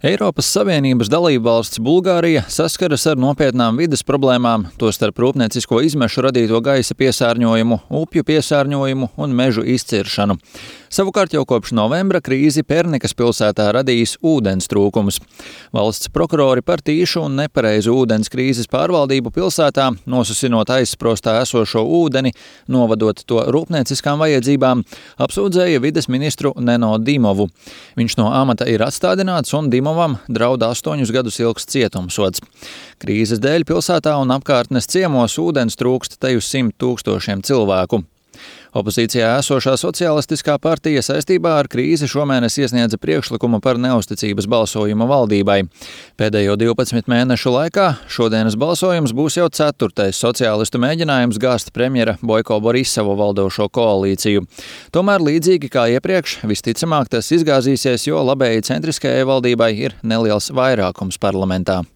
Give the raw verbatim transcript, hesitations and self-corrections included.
Eiropas Savienības dalībvalsts Bulgārija saskaras ar nopietnām vides problēmām, tostarp rūpniecisko izmešu radīto gaisa piesārņojumu, upju piesārņojumu un mežu izciršanu. Savukārt jau kopš novembra krīzi Pernikas pilsētā radījis ūdens trūkums. Valsts prokurori par tīšu un nepareizu ūdens krīzes pārvaldību pilsētā, nosusinot aizsprostā esošo ūdeni, novadot to rūpnieciskām vajadzībām, apsūdzēja vides ministru Neno Dimovu. Viņš no amata ir atstādināts un Dimovam draud astoņus gadus ilgs cietumsods. Krīzes dēļ pilsētā un apkārtnes ciemos ūdens trūkst te uz simt tūkstošiem cilvēku. Opozīcijā esošā Socialistiskā partija saistībā ar krīzi šomēnes iesniedza priekšlikumu par neusticības balsojumu valdībai. Pēdējo divpadsmit mēnešu laikā šodienas balsojums būs jau ceturtais sociālistu mēģinājums gāzt premjera Boiko Borisovu valdošo koalīciju. Tomēr līdzīgi kā iepriekš, visticamāk tas izgāzīsies, jo labēji centriskajai valdībai ir neliels vairākums parlamentā.